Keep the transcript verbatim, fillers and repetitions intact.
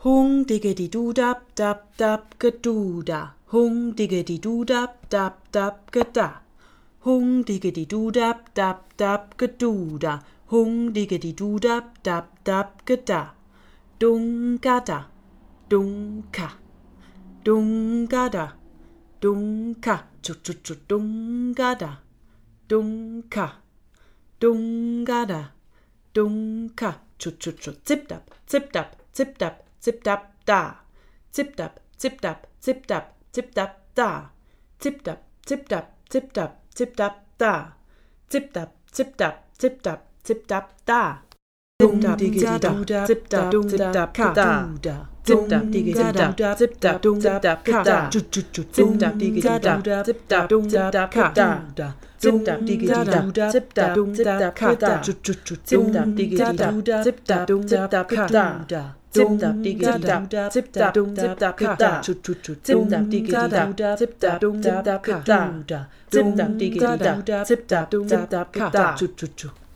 Hung diggedy doo dap dap dap gadoo da. Hung diggedy doo dap dap dap gada. Hung diggedy doo dap dap dap gadoo da. Hung diggedy doo dap dap dap gada. Dung gada. Dung ka. Dung gada. Dung ka. Chut chut chut dung gada. Dung ka. Dung gada. Dung ka. Chut chut chut. Zip dap. Zip dap. Zip dap. Zip dap da. Zip dap. Zip dap. Zip dap. Zip dap da. Zip dap. Zip dap. Zip dap. Zip dap da. Zip dap. Zip dap. Zip dap. Zip dap da. Dum diggity doo da. Zip dap. Zip dap da. Zip dap diggity da. Zip dap. Zip dap da. Chut chut chut. Zip dap diggity da. Zip dap. Zip dap da. Zip dap diggity da. Zip dap. Zip dap da. Chut chut chut. Zip dap diggity da. Zip dap. Zip dap da. Zip dap diggity da. Zip dap. Zip dap da. Chut chut chut. Zip dap diggity da. Zip dap. Zip dap da. Zip dap diggity da. Zip dap. Zip dap da. Chut chut chut.